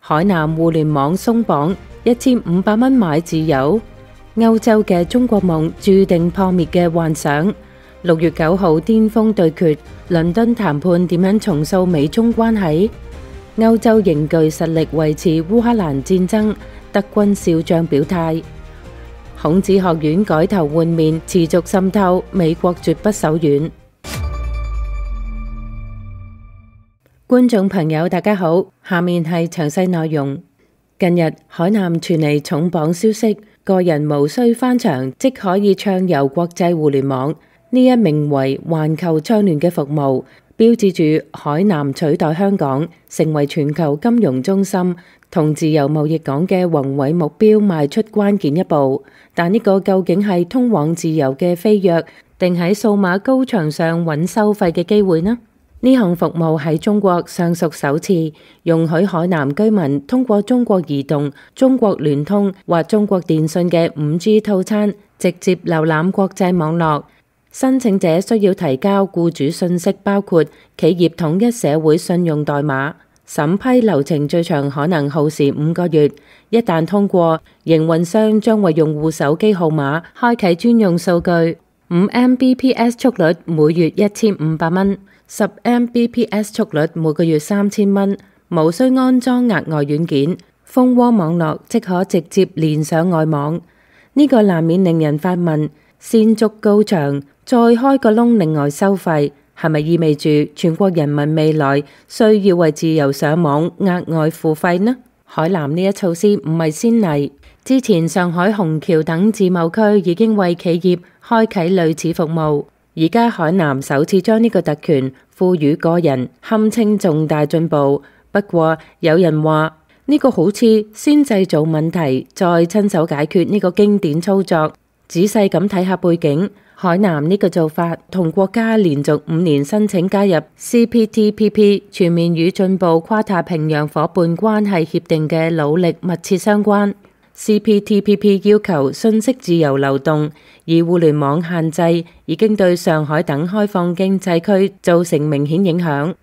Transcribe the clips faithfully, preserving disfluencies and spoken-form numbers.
海南互聯網鬆綁，一千五百蚊買自由，歐洲嘅中國夢注定破滅嘅幻想。六月九號巔峰對決，倫敦談判點樣重塑美中關係？歐洲凝聚實力維持烏克蘭戰爭，德軍少將表態。孔子學院改頭換面，持續滲透，美國絕不手軟。觀眾朋友大家好，下面係詳細內容。近日海南傳嚟重磅消息，個人無需翻牆即可以暢遊國際互聯網。呢一名為環球倡聯嘅服務，標誌住海南取代香港成為全球金融中心同自由貿易港嘅宏偉目標邁出關鍵一步。但呢個究竟係通往自由嘅飛躍，定喺數碼高牆上揾收費嘅機會呢？呢項服務喺中國尚屬首次，容許海南居民通過中國移動、中國聯通或中國電信嘅五 G 套餐，直接瀏覽國際網絡。申請者需要提交僱主信息，包括企業統一社會信用代碼。審批流程最長可能耗時五個月，一旦通過，營運商將為用戶手機號碼開啟專用數據。五 M B P S 速率每月一千五百蚊，十 M B P S 速率每個月三千蚊，無需安裝額外軟件，蜂窩網絡即可直接連上外網。呢、這個難免令人發問：先築高牆，再開個窿，另外收費，係咪意味住全國人民未來需要為自由上網額外付費呢？海南呢一措施唔係先例，之前上海虹橋等自貿區已經為企業開啟類似服務，而家海南首次將呢個特權賦予個人，堪稱重大進步。不過有人話呢個好似先製造問題，再親手解決呢個經典操作。仔細咁睇下背景。海南呢個做法同國家連續五年申請加入 C P T P P 全面與進步跨太平洋夥伴關係協定嘅努力密切相關。C P T P P 要求信息自由流動，而互聯網限制已經對上海等開放經濟區造成明顯影響。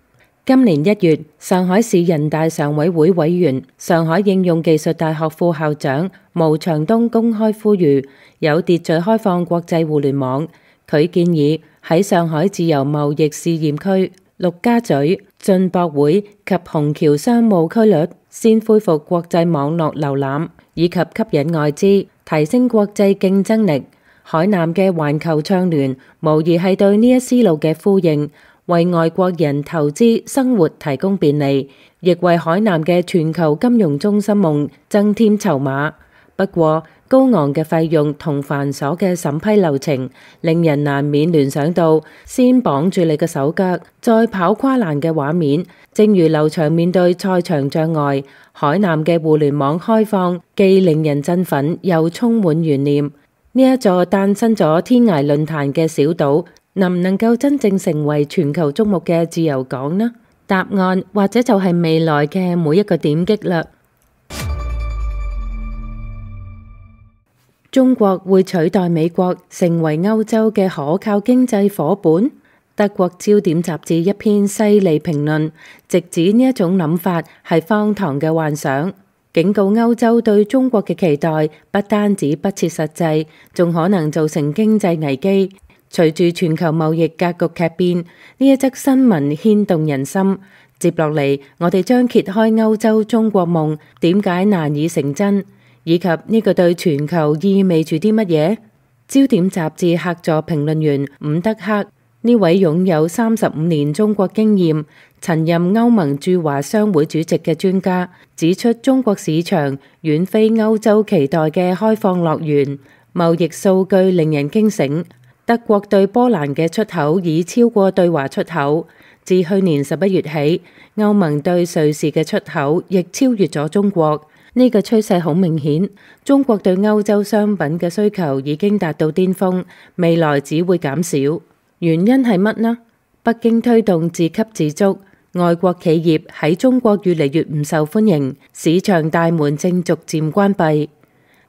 今年一月，上海市人大常委會委員、上海應用技術大學副校長毛長東公開呼籲有秩序開放國際互聯網。佢建議喺上海自由貿易試驗區、陸家嘴、進博會及虹橋商務區域先恢復國際網絡瀏覽，以及吸引外資，提升國際競爭力。海南嘅環球倡聯無疑係對呢一思路嘅呼應，為外國人投資生活提供便利，亦為海南嘅全球金融中心夢增添籌碼。不過，高昂嘅費用同繁瑣嘅審批流程，令人難免聯想到先綁住你嘅手腳，再跑跨欄嘅畫面。正如劉翔面對賽場障礙，海南嘅互聯網開放既令人振奮，又充滿懸念。呢一座誕生咗天涯論壇嘅小島，能唔能夠真正成為全球矚目嘅自由港呢？答案或者就係未來嘅每一個點擊啦。中國會取代美國成為歐洲嘅可靠經濟夥伴？德國焦點雜誌一篇犀利評論，直指呢一種諗法係荒唐嘅幻想，警告歐洲對中國嘅期待不單止不切實際，仲可能造成經濟危機。隨住全球貿易格局劇變，呢一則新聞牽動人心。接落嚟，我哋將揭開歐洲中國夢點解難以成真，以及呢個對全球意味住啲乜嘢？焦點雜誌客座評論員伍德克，呢位擁有三十五年中國經驗、曾任歐盟駐華商會主席嘅專家，指出中國市場遠非歐洲期待嘅開放樂園，貿易數據令人驚醒。德國對波蘭嘅出口已超過對華出口，自去年十一月起，歐盟對瑞士嘅出口亦超越咗中國。呢個趨勢好明顯，中國對歐洲商品嘅需求已經達到巔峰，未來只會減少。原因係乜呢？北京推動自給自足，外國企業喺中國越嚟越唔受歡迎，市場大門正逐漸關閉。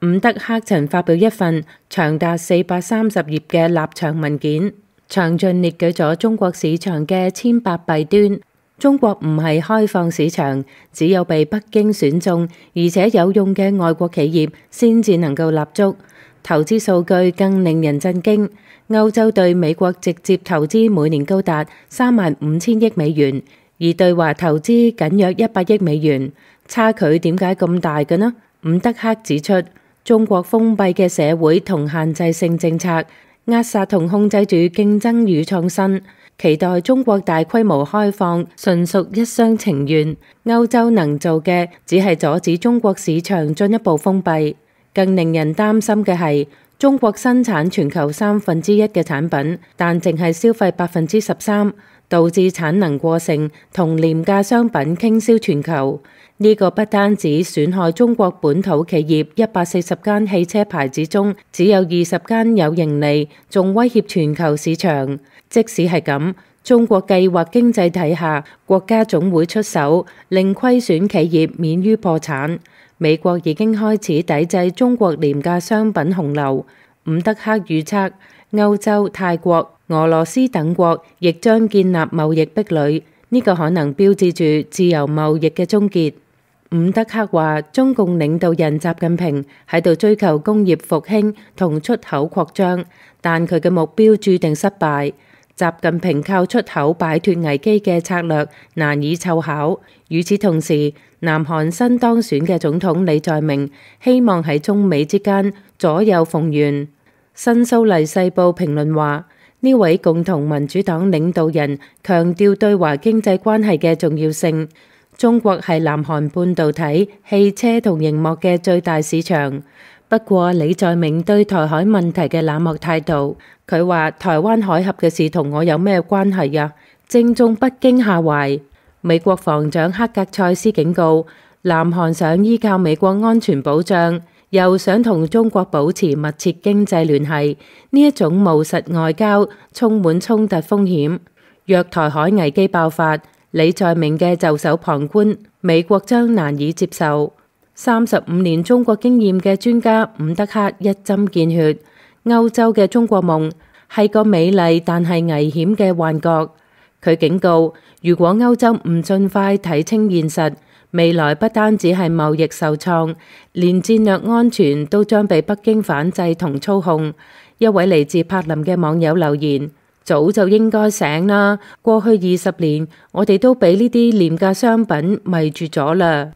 伍德克曾發表一份長達四百三十頁嘅立場文件，詳盡列舉咗中國市場嘅千百弊端。中國唔係開放市場，只有被北京選中而且有用嘅外國企業先至能夠立足。投資數據更令人震驚，歐洲對美國直接投資每年高達三萬五千億美元，而對華投資僅約一百億美元，差距點解咁大嘅呢？伍德克指出，中國封閉嘅社會同限制性政策扼殺同控制住競爭與創新。期待中國大規模開放，純屬一廂情願。歐洲能做嘅只係阻止中國市場進一步封閉。更令人擔心嘅係，中國生產全球三分之一嘅產品，但淨係消費百分之十三，導致產能過剩同廉價商品傾銷全球。呢個不單止損害中國本土企業一百四十間汽車牌子中只有二十間有盈利，仲威脅全球市場。即使係咁，中國計劃經濟體下，國家總會出手，令虧損企業免於破產。美國已經開始抵制中國廉價商品洪流。伍德克預測，歐洲、泰國、俄羅斯等國亦將建立貿易壁壘，呢個可能標誌住自由貿易嘅終結。伍德克話，中共領導人習近平喺度追求工業復興同出口擴張，但佢嘅目標注定失敗。習近平靠出口擺脫危機嘅策略難以奏效。與此同時，南韓新當選嘅總統李在明希望喺中美之間左右逢源。新蘇黎世報評論話，呢位共同民主黨領導人強調對華經濟關係嘅重要性。中國係南韓半導體、汽車同熒幕嘅最大市場。不過李在明對台海問題嘅冷漠態度，佢話台灣海峽嘅事同我有咩關係呀？正中北京下懷。美國防長克格塞斯警告，南韓想依靠美國安全保障，又想同中國保持密切經濟聯繫，呢一種務實外交充滿衝突風險。若台海危機爆發，李在明嘅袖手旁觀，美國將難以接受。三十五年中國經驗嘅專家伍德克一針見血，歐洲嘅中國夢係個美麗但係危險嘅幻覺。佢警告，如果歐洲唔盡快睇清現實，未來不單止係貿易受創，連戰略安全都將被北京反制同操控。一位嚟自柏林嘅網友留言：早就應該醒啦，過去二十年我哋都俾呢啲廉價商品迷住咗啦。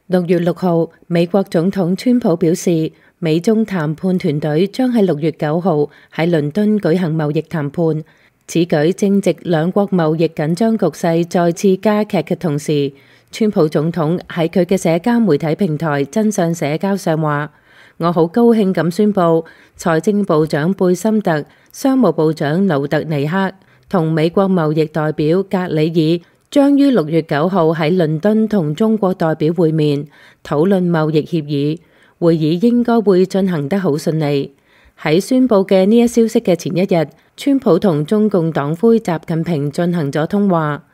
六月六號，美國總統川普表示，美中談判團隊將喺六月九號喺倫敦舉行貿易談判。此舉正值兩國貿易緊張局勢再次加劇嘅同時，川普總統喺佢嘅社交媒體平台真相社交上話：我好高興咁宣布，財政部長貝森特、商務部長勞特尼克同美國貿易代表格里爾將於六月九號喺倫敦同中國代表會面，討論貿易協議。會議應該會進行得好順利。喺宣佈嘅呢一消息嘅前一日，川普同中共黨魁習近平進行咗通話。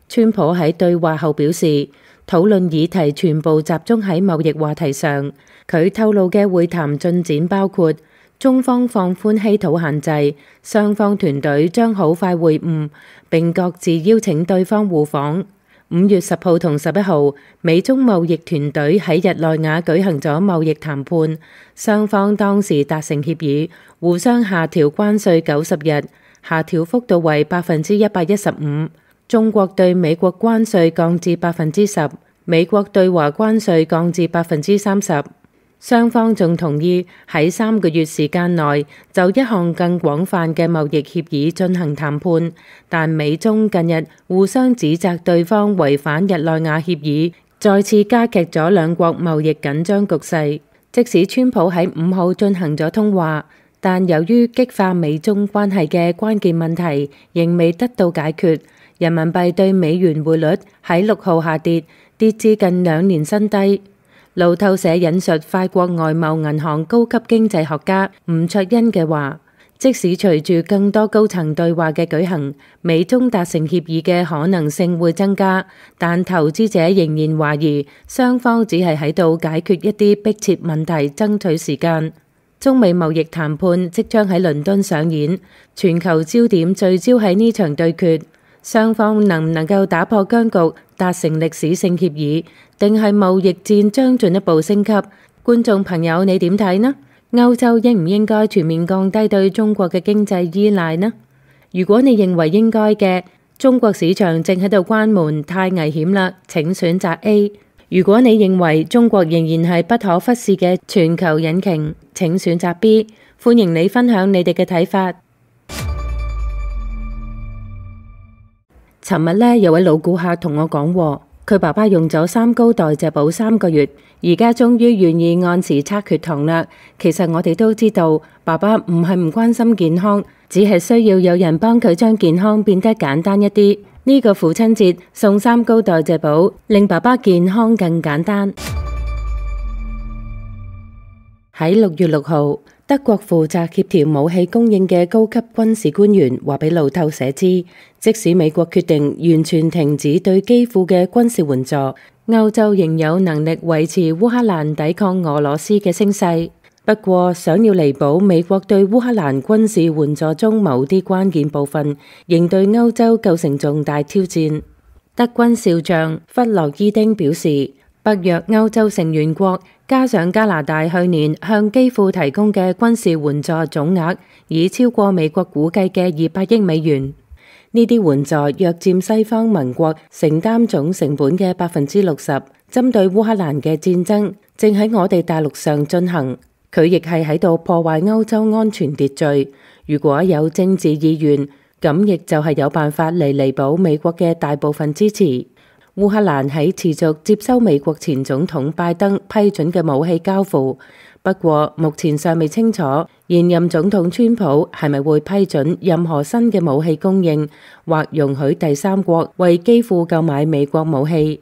川普喺對話後表示，討論議題全部集中喺貿易話題上。佢透露嘅會談進展包括中方放寬稀土限制，雙方團隊將好快會晤，並各自邀請對方互訪。五月十號同十一號，美中貿易團隊喺日內瓦舉行咗貿易談判，雙方當時達成協議，互相下調關稅九十日，下調幅度為百分之一百一十五。中國對美國關稅降至百分之十，美國對華關稅降至百分之三十。雙方仲同意喺三個月時間內就一項更廣泛嘅貿易協議進行談判，但美中近日互相指責對方違反日內瓦協議，再次加劇咗兩國貿易緊張局勢。即使川普喺五號進行咗通話，但由於激化美中關係嘅關鍵問題仍未得到解決，人民幣對美元匯率喺六號下跌，跌至近兩年新低。路透社引述法國外貿銀行高級經濟學家吳卓恩嘅話，即使隨住更多高層對話嘅舉行，美中達成協議嘅可能性會增加，但投資者仍然懷疑雙方只係喺度解決一啲迫切問題，爭取時間。中美貿易談判即將喺倫敦上演，全球焦點聚焦喺呢場對決，雙方能唔能夠打破僵局，達成歷史性協議，定係貿易戰將進一步升級？觀眾朋友，你點睇呢？歐洲應唔應該全面降低對中國嘅經濟依賴呢？如果你認為應該嘅，中國市場正喺度關門，太危險啦，請選擇 A。如果你認為中國仍然係不可忽視嘅全球引擎，請選擇 B。歡迎你分享你哋嘅睇法。尋日呢，有位老顧客同我講，佢爸爸用咗三高代謝寶三個月，而家終於願意按時測血糖啦。其實我哋都知道，爸爸唔係唔關心健康，只係需要有人幫佢將健康變得簡單一啲。呢個父親節送三高代謝寶，令爸爸健康更簡單。喺六月六號，德國負責協調武器供應嘅高級軍事官員話俾路透社知，即使美國決定完全停止對基輔嘅軍事援助，歐洲仍有能力維持烏克蘭抵抗俄羅斯嘅聲勢。不過，想要彌補美國對烏克蘭軍事援助中某啲關鍵部分，仍對歐洲構成重大挑戰。德軍少將弗洛伊丁表示，北約歐洲成員國加上加拿大去年向基輔提供嘅軍事援助總額，已超過美國估計嘅二百億美元。呢啲援助約佔西方盟國承擔總成本嘅百分之六十。針對烏克蘭嘅戰爭正喺我哋大陸上進行。佢亦係喺度破壞歐洲安全秩序。如果有政治意願，咁亦就係有辦法嚟彌補美國嘅大部分支持。烏克蘭喺持續接收美國前總統拜登批准嘅武器交付，不過目前尚未清楚現任總統川普係咪會批准任何新嘅武器供應，或容許第三國為基輔購買美國武器。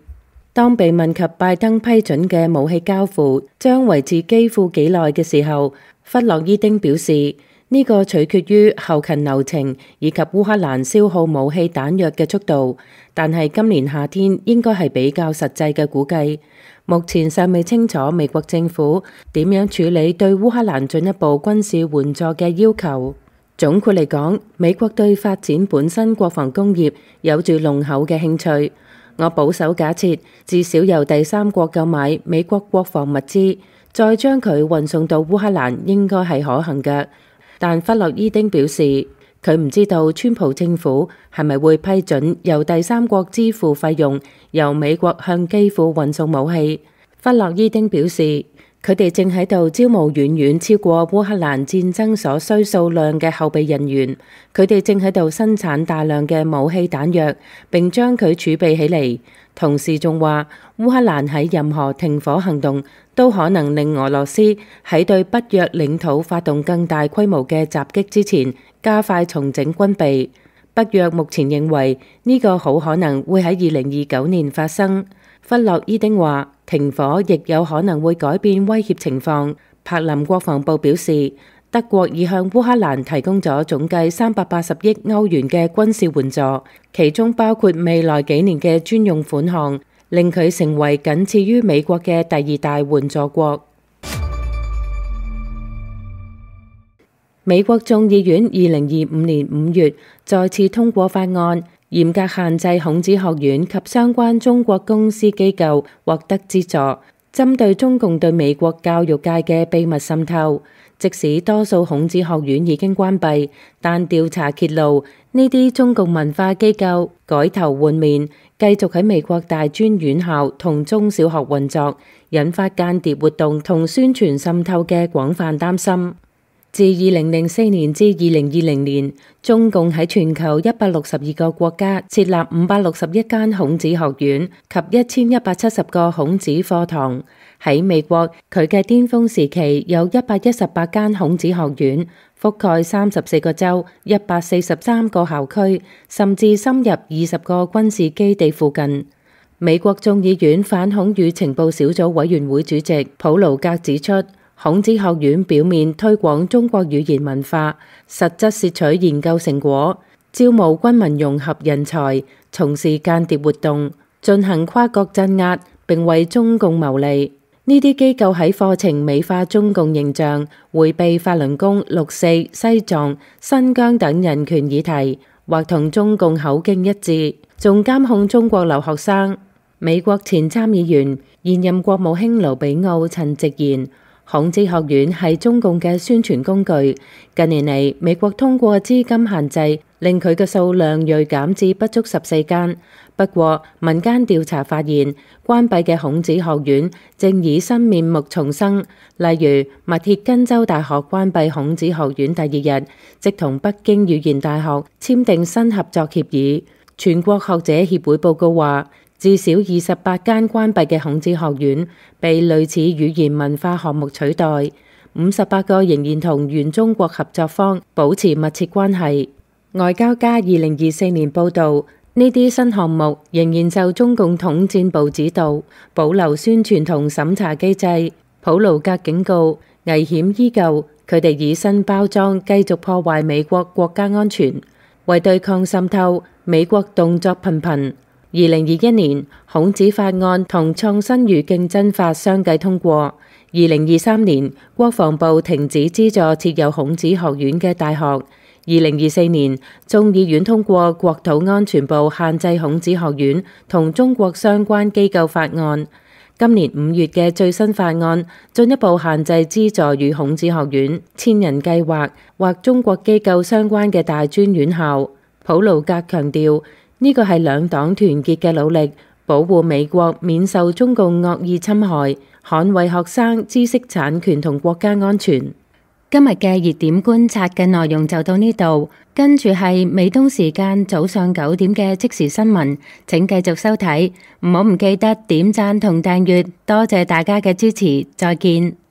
當被問及拜登批准嘅武器交付將維持基輔幾耐嘅時候，弗洛伊丁表示呢個取決於後勤流程以及烏克蘭消耗武器彈藥嘅速度，但係今年夏天應該係比較實際嘅估計。目前尚未清楚美國政府點樣處理對烏克蘭進一步軍事援助嘅要求。總括嚟講，美國對發展本身國防工業有住濃厚嘅興趣。我保守假設，至少由第三國購買美國國防物資，再將佢運送到烏克蘭，應該係可行嘅。但弗洛伊丁表示，佢唔知道川普政府係咪會批准由第三國支付費用，由美國向基輔運送武器。弗洛伊丁表示，佢哋正喺度招募遠遠超過烏克蘭戰爭所需數量嘅後備人員，佢哋正喺度生產大量嘅武器彈藥，並將佢儲備起嚟。同時仲話，烏克蘭喺任何停火行動都可能令俄羅斯喺對北約領土發動更大規模嘅襲擊之前，加快重整軍備。北約目前認為呢個好可能會喺二零二九年發生。弗洛伊丁話，停火亦有可能會改變威脅情況。柏林國防部表示，德國已向烏克蘭提供咗總計三百八十億歐元嘅軍事援助，其中包括未來幾年嘅專用款項，令佢成為僅次於美國嘅第二大援助國。美國眾議院二零二五年五月再次通過法案，嚴格限制孔子學院及相關中國公司機構獲得資助，針對中共對美國教育界嘅秘密滲透。即使多數孔子學院已經關閉，但調查揭露呢啲中共文化機構改頭換面，繼續喺美國大專院校同中小學運作，引發間諜活動同宣傳滲透嘅廣泛擔心。自二零零四年至二零二零年，中共喺全球一百六十二個國家設立五百六十一間孔子學院及一千一百七十個孔子課堂。喺美國，佢嘅巔峰時期有一百一十八間孔子學院，覆蓋三十四個州、一百四十三個校區，甚至深入二十個軍事基地附近。美國眾議院反恐與情報小組委員會主席普魯格指出，孔子學院表面推廣中國語言文化，實質竊取研究成果，招募軍民融合人才，從事間諜活動，進行跨國鎮壓，並為中共牟利。呢啲機構喺課程美化中共形象，迴避法輪功、六四、西藏、新疆等人權議題，或同中共口徑一致，仲監控中國留學生。美國前參議員、現任國務卿盧比奧曾直言，孔子學院係中共嘅宣傳工具。近年嚟，美國通過資金限制，令佢嘅數量銳減至不足十四間。不過，民間調查發現，關閉嘅孔子學院正以新面目重生。例如，密歇根州大學關閉孔子學院第二日，即同北京語言大學簽訂新合作協議。全國學者協會報告話，至少二十八間關閉嘅孔子學院被類似語言文化項目取代，五十八個仍然同原中國合作方保持密切關係。外交家二零二四年報導，呢啲新項目仍然受中共統戰部指導，保留宣傳同審查機制。普魯格警告，危險依舊，佢哋以新包裝繼續破壞美國國家安全。為對抗滲透，美國動作頻頻。二零二一年，孔子法案同創新與競爭法相繼通過。二零二三年，國防部停止資助設有孔子學院嘅大學。二零二四年，眾議院通過國土安全部限制孔子學院同中國相關機構法案。今年五月嘅最新法案進一步限制資助與孔子學院、千人計劃或中國機構相關嘅大專院校。普魯格強調，呢個係兩黨團結嘅努力，保護美國免受中共惡意侵害，捍衛學生知識產權同國家安全。今日嘅熱點觀察嘅內容就到呢度，跟住係美東時間早上九點嘅即時新聞，請繼續收睇，唔好唔記得點讚同訂閱，多謝大家嘅支持，再見。